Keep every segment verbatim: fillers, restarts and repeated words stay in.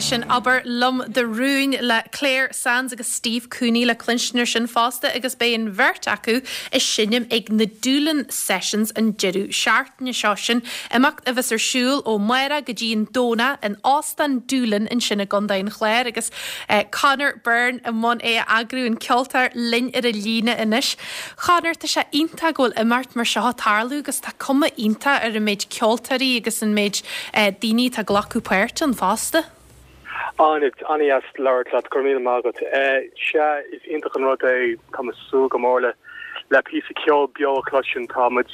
Sin Abair Liom Do Rún le Clare Sands agus Steve Cooney le cluinstin sin fosta agus beidh an bheirt acu ag seinm ag na Doolin Sessions an deireadh seachtaine seo sin. Imeacht a bheas ar siúl ó amárach go dtí an Domhnach in Óstán Doolin ansin i gContae an Chláir agus eh, Conor Byrne i mbun é a eagrú an ceoltóir linn ar an líne anois. Conor tá sé iontach go bhfuil imeacht mar seo ag tarlú agus tá cuma iontach ar an méid ceoltóirí agus an méid eh, daoine atá ag glacadh páirt ann fosta. Áine an-deas labhairt leat go míle maith agat. Sea is iontach an rud é tá súil go mór le le píosa ceol beo a chloisint táimid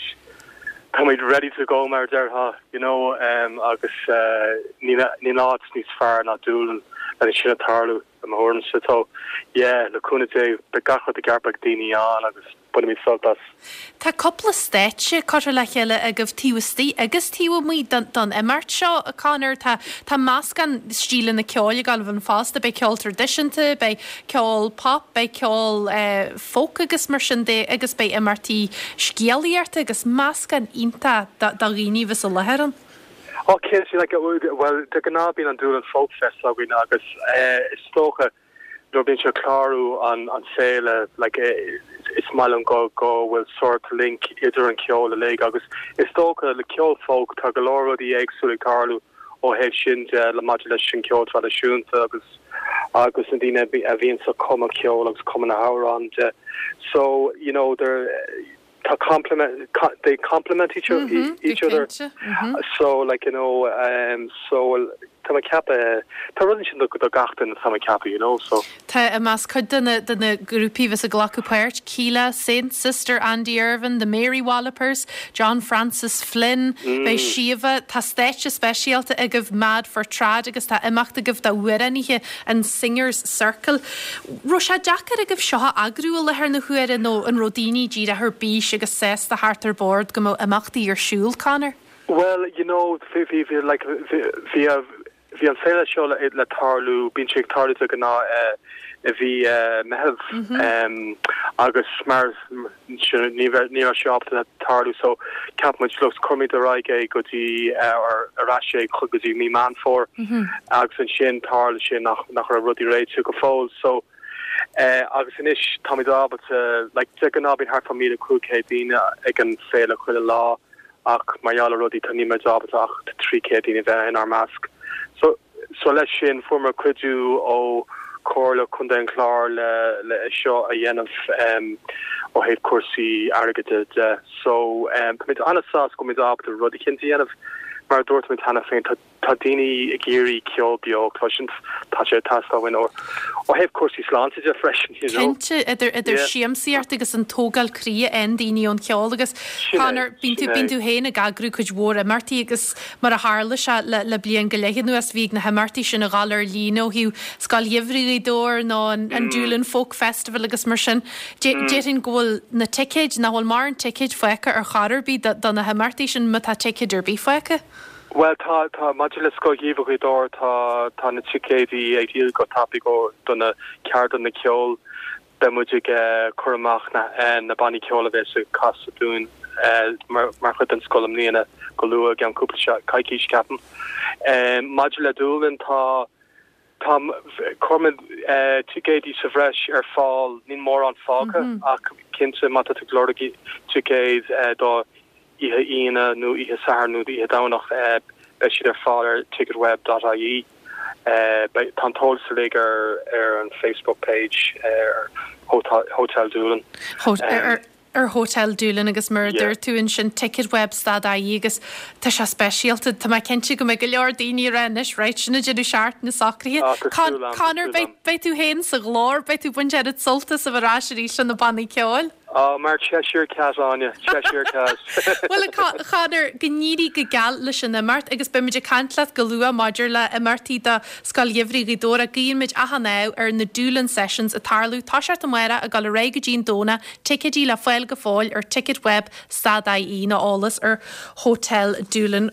táimid ready to go mar a déarfá you know um, agus uh, ní áit níos fearr ná Doolin le sin a tarlú i mo thuairimse so yeah le cúnamh Dé beidh gach rud i gceart beidh daoine ann agus bainfimid sult as. Tá cúpla stáitse curtha le chéile agaibh taobh istigh agus taobh amuigh don, don imeacht seo a Conor tá tá meascán stíleanna ceoil ag gabháil fosta beidh ceol traidisiúnta, beidh ceol pop, beidh ceol eh, folk agus mar sin de agus beidh imeachtaí scéalaíochta agus meascán iontach do dhaoine bheas i láthair ann. Oh, cinnte like well de ghnáth bíonn an Doolin Folk Fest againn agus eh, is dócha nuair bíonn sé clárú an an féile like eh, is maith liom go go bhfuil sort link idir an ceol uilig agus is dócha le ceol folk tá go leor rudaí éagsúla ag tarlú ó thaobh sin de le maidir leis an ceol traidisiúnta agus agus na daoine a bhíonn sa cumadh ceol agus cumadh na n-amhrán de so you know there tá complement co they complement each, mm -hmm, each other mm -hmm. so like you know um so tá mé ag ceapadh tá rud sin do gach duine tá mé ag ceapadh you know so Tá i measc cuid de na de na grúpaí bheas ag glacadh páirt Keela, Saint Sister Andy Irvin, the Mary Wallopers, John Francis Flynn, mm. Beidh Shiva tá stáitse speisialta agaibh Mad for Trad agus tá imeacht agaibh d'amhránaithe an Singers Circle. Raibh sé deacair agaibh seo a eagrú i láthair na huaire nó an raibh daoine díreach ar bís agus sásta theacht ar bord go mbeadh imeachtaí ar siúl Conor? Well, you know, bhí bhí bhí like bhí bhí an féile seo le, le tarlú bíonn sé ag tarlú de ghnáth uh, i mí uh, Meitheamh mm -hmm. um, agus mar ní ní raibh sé ábalta tarlú so cheap muid look cuirfimid ar aghaidh é go dtí uh, ar ar ais é go dtí mí Meán Fómhair mm -hmm. agus ansin tharla sé nach nach raibh rudaí réitithe go fóill so Uh, agus anois táimid ábalta like de ghnáth bíonn thart fá míle cúig chéad daoine ag an féile chuile lá ach mar gheall ar rudaí tá níl ábalta ach trí chéad daoine bheith inár measc. So so leis sin fuaireamar cuidiú ó Chomhairle Contae an Chláir le le seo a dhéanamh um, ó thaobh cúrsaí airgead de so um, Táimid an-sásta go bhfuilimid ábalta rud éicint a dhéanamh mar dúirt mé cheana féin tá tá daoine ag iarraidh ceol beo cloisint tá sé teastáil ó ó thaobh cúrsaí sláinte de freisin you know. Cinnte idir idir yeah. siamsaíocht agus an tógáil croí an daoine ón cheol agus Conor bíonn tú bíonn tú féin ag eagrú cuid mhór imeachtaí agus mar a tharla sé le, le bliain go leith anuas bhí na himeachtaí sin ag dul ar líne ó thaobh Scoil Gheimhridh Ghaoth Dobhair nó an, an mm. Doolin Folk Festival agus mar sin. Déarfainn go bhfuil na ticéid nach bhfuil mórán ticéid fágtha ar chor ar bith do na himeachtaí sin má tá ticéid ar bith fágtha. Well tá tá maidir le Scoil Gheimhridh Ghaoth Dobhair tá tá na ticéidí ag díol go tapaidh go do na ceardlanna ceoil beidh muid ag uh, cur amach na uh, na bannaí ceoil a bheas ag casadh dúinn uh, mar mar chuid den scoil i mbliana go luath gan cúpla coicís ceapaim. Um, maidir le Doolin tá tá chuir muid uh, ticéidí sa bhreis ar fáil níl mórán fágtha mm -hmm. ach cinnte má tá tú ag lorg ticéid uh, do oíche Aoine nó oíche Sathairn nó oíche Domhnach uh, beidh siad ar fáil ar ticketweb.ie. Uh, tá an t-eolas uilig ar ar an Facebook page ar Hotel, Hotel Doolin. Hot um, ar, ar Hotel Doolin agus mar yeah. dúirt tú ansin ticketweb.ie agus tá sé speisialta Tá mé cinnte go mbeidh go leor daoine anois right sin déanamh seart na socruithe. Conor beidh tú féin sa ghlór beidh tú ag baint an sult as a bheith ar ais arís na bannaí ceoil? Oh, mar Cheshire Cat Áine Cheshire Cat. Well Conor go n-éirí go geal leis an imeacht agus beimid ag caint leat go luath maidir le imeachtaí do Scoil Gheimhridh Ghaoth Dobhair guímid achan ádh ar na Doolin Sessions ag tarlú toiseacht amárach ag dul ar aghaidh go dtí an Domhnach ticéidí le fáil go fóill ar ticketweb.ie nó eolas ar Hotel Doolin.